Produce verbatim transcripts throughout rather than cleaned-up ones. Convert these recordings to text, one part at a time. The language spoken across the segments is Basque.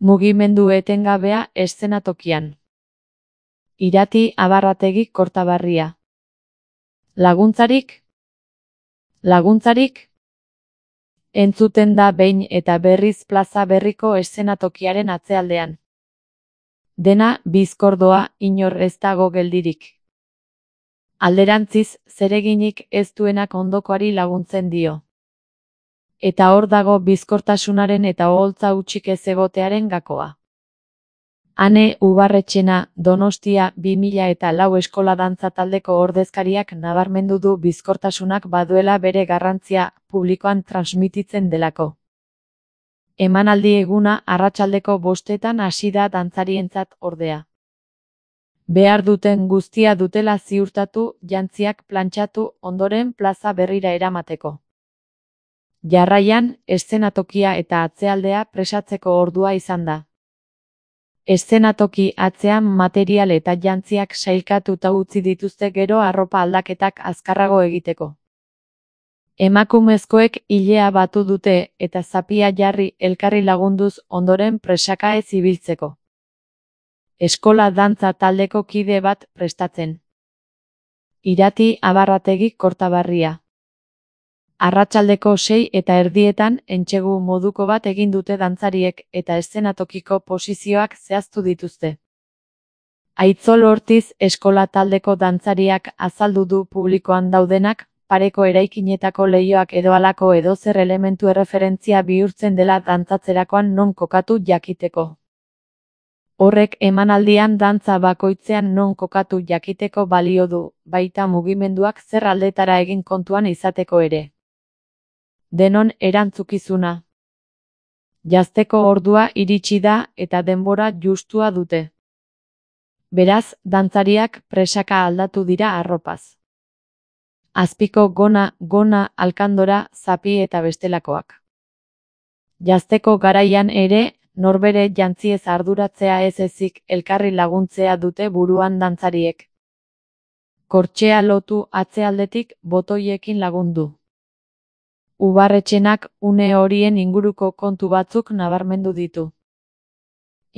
Mugimendu etengabea eszenatokian. Irati Abarrategi Kortaberria. Laguntzarik? Laguntzarik? Entzuten da behin eta berriz plaza berriko eszenatokiaren atzealdean. Dena bizkordoa, inor ez dago geldirik. Alderantziz, zereginik ez duenak ondokoari laguntzen dio. Eta hor dago bizkortasunaren eta oholtza hutsik ez egotearen gakoa. Ane Ubarretxena, Donostia bi mila eta lau eskola dantza taldeko ordezkariak nabarmendu du bizkortasunak baduela bere garrantzia publikoan transmititzen delako. Emanaldi eguna arratsaldeko bostetan hasi da dantzarientzat ordea. Behar duten guztia dutela ziurtatu, jantziak plantxatu ondoren plaza berrira eramateko. Jarraian, eszenatokia eta atzealdea presatzeko ordua izan da. Eszenatoki atzean material eta jantziak sailkatuta utzi dituzte gero arropa aldaketak azkarrago egiteko. Emakumezkoek ilea batu dute eta zapia jarri elkarri lagunduz ondoren presaka ez ibiltzeko. Eskola dantza taldeko kide bat prestatzen. Irati Abarrategi Kortaberria. Arratsaldeko sei eta erdietan entsegu moduko bat egin dute dantzariek eta eszenatokiko posizioak zehaztu dituzte. Aitzol Ortiz eskola taldeko dantzariak azaldu du publikoan daudenak, pareko eraikinetako leihoak edo halako edozer elementu erreferentzia bihurtzen dela dantzatzerakoan non kokatu jakiteko. Horrek emanaldian dantza bakoitzean non kokatu jakiteko balio du, baita mugimenduak zer aldetara egin kontuan izateko ere. Denon erantzukizuna. Jazteko ordua iritsi da eta denbora justua dute. Beraz, dantzariak presaka aldatu dira arropaz. Azpiko gona, gona, alkandora, zapi eta bestelakoak. Jazteko garaian ere, norbere jantziez arduratzea ez ezik elkarri laguntzea dute buruan dantzariek. Kortxea lotu atzealdetik botoiekin lagundu. Ubarretxenak une horien inguruko kontu batzuk nabarmendu ditu.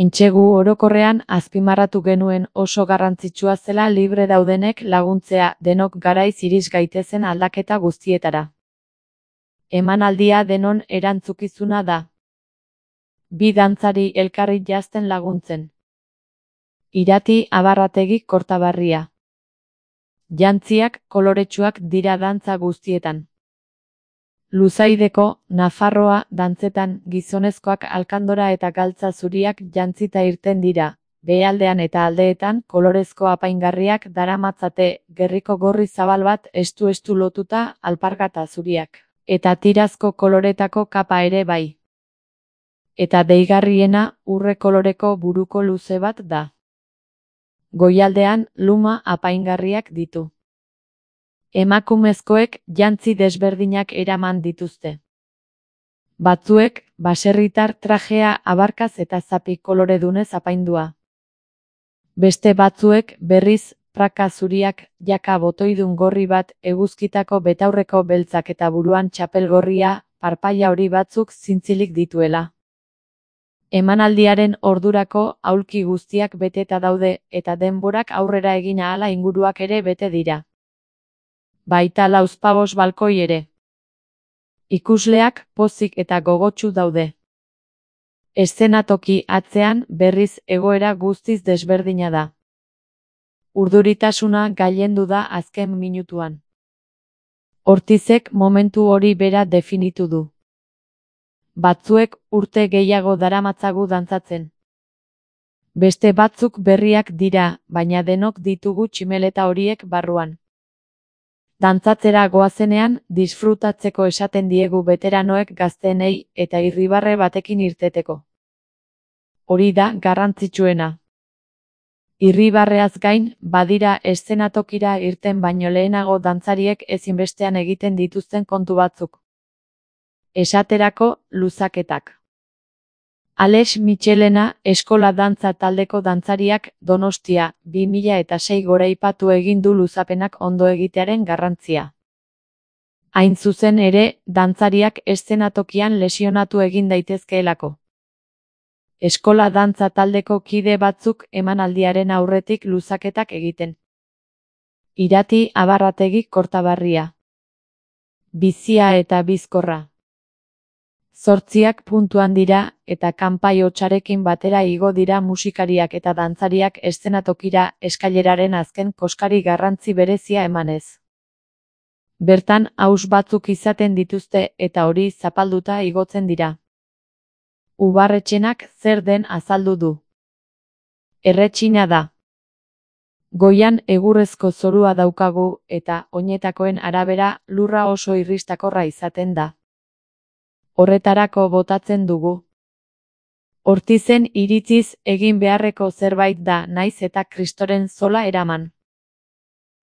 Entsegu orokorrean azpimarratu genuen oso garrantzitsua zela libre daudenek laguntzea denok garaiz iris gaitezen aldaketa guztietara. Emanaldia denon erantzukizuna da. Bi dantzari elkarri jazten laguntzen. Irati Abarrategi Kortaberria. Jantziak koloretsuak dira dantza guztietan. Luzaideko, Nafarroa dantzetan gizonezkoak alkandora eta galtza zuriak jantzita irten dira, behealdean eta aldeetan kolorezko apaingarriak daramatzate gerriko gorri zabal bat estu-estu lotuta alpargata zuriak, eta tirazko koloretako kapa ere bai. Eta deigarriena urre koloreko buruko luze bat da. Goialdean luma apaingarriak ditu. Emakumezkoek jantzi desberdinak eraman dituzte. Batzuek baserritar trajea abarkaz eta zapi koloredunez apaindua. Beste batzuek berriz praka zuriak jaka botoidun gorri bat eguzkitako betaurreko beltzak eta buruan txapel gorria, parpaia hori batzuk zintzilik dituela. Emanaldiaren ordurako aulki guztiak beteta daude eta denborak aurrera egin ahala inguruak ere bete dira. Baita lauzpabos balkoi ere. Ikusleak pozik eta gogotsu daude. Eszenatoki atzean berriz egoera guztiz desberdina da. Urduritasuna gailendu da azken minutuan. Ortizek momentu hori bera definitu du. Batzuek urte gehiago daramatzagu dantzatzen. Beste batzuk berriak dira, baina denok ditugu tximeleta horiek barruan. Dantzatzera goazenean, disfrutatzeko esaten diegu beteranoek gaztenei eta irribarre batekin irteteko. Hori da garrantzitsuena. Irribarreaz gain, badira eszenatokira irten baino lehenago dantzariek ezinbestean egiten dituzten kontu batzuk. Esaterako, luzaketak. Alex Michelena eskola dantza taldeko dantzariak Donostia bi mila eta sei goraipatu egin du luzapenak ondo egitearen garrantzia. Hain zuzen ere, dantzariak eszenatokian lesionatu egin daitezkeelako. Eskola dantza taldeko kide batzuk emanaldiaren aurretik luzaketak egiten. Irati Abarrategi Kortabarria. Bizia eta bizkorra. Zortziak puntuan dira, eta kanpai hotsarekin batera igo dira musikariak eta dantzariak eszenatokira eskaileraren azken koskari garrantzi berezia emanez. Bertan aus batzuk izaten dituzte eta hori zapalduta igotzen dira. Ubarretxenak zer den azaldu du. Erretxina da. Goian egurrezko zorua daukagu eta oinetakoen arabera lurra oso irristakorra izaten da. Horretarako botatzen dugu. Ortizen iritziz egin beharreko zerbait da naiz eta kristoren zola eraman.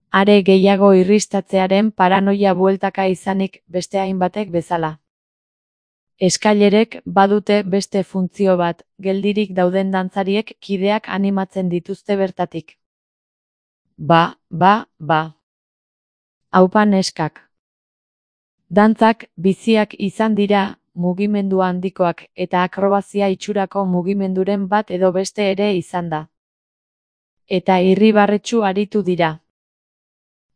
Are gehiago irristatzearen paranoia bueltaka izanik beste hainbatek bezala. Eskailerek badute beste funtzio bat, geldirik dauden dantzariek kideak animatzen dituzte bertatik. Ba, ba, ba. Aupa neskak. Dantzak biziak izan dira, mugimendu handikoak eta akrobazia itxurako mugimenduren bat edo beste ere izan da. Eta irribarretsu aritu dira.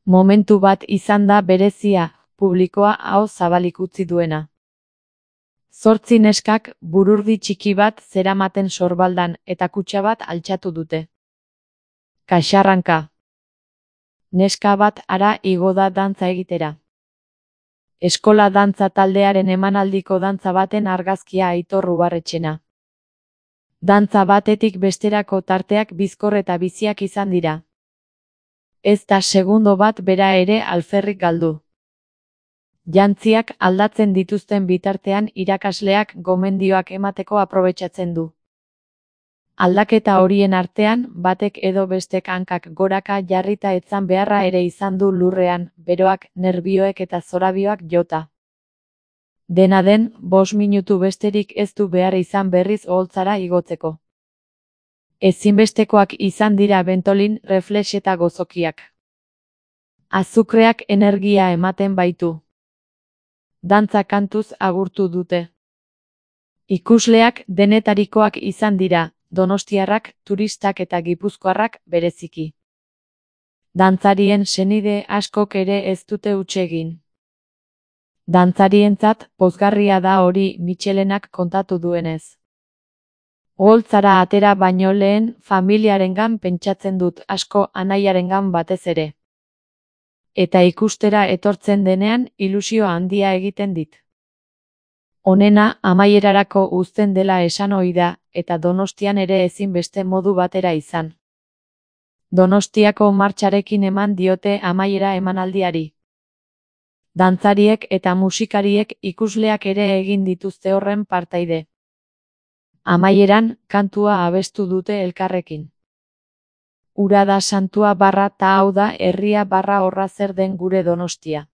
Momentu bat izan da berezia, publikoa aho zabalik utzi duena. Zortzi neskak bururdi txiki bat zeramaten sorbaldan eta kutxa bat altxatu dute. Kaxarranka. Neska bat hara igo da dantza egitera. Eskola dantza taldearen emanaldiko dantza baten argazkia Aitor Ubarretxena. Dantza batetik besterako tarteak bizkor eta biziak izan dira. Ez da segundo bat bera ere alferrik galdu. Jantziak aldatzen dituzten bitartean irakasleak gomendioak emateko aprobetxatzen du. Aldaketa horien artean, batek edo bestek hankak goraka jarrita etzan beharra ere izan du lurrean, beroak, nerbioek eta zorabioak jota. Dena den, bost minutu besterik ez du behar izan berriz oholtzara igotzeko. Ezinbestekoak izan dira bentolin, reflex eta gozokiak. Azukreak energia ematen baitu. Dantza kantuz agurtu dute. Ikusleak denetarikoak izan dira, donostiarrak, turistak eta gipuzkoarrak bereziki. Dantzarien senide askok ere ez dute huts egin. Dantzarientzat pozgarria da hori Mitxelenak kontatu duenez. Oholtzara atera baino lehen familiarengan pentsatzen dut asko anaiarengan batez ere. Eta ikustera etortzen denean ilusio handia egiten dit. Honena amaierarako uzten dela esan ohi da, eta Donostian ere ezin beste modu batera izan. Donostiako martxarekin eman diote amaiera emanaldiari. Dantzariek eta musikariek ikusleak ere egin dituzte horren partaide. Amaieran, kantua abestu dute elkarrekin. Ura da santua barra ta hau da herria barra horra zer den gure Donostia.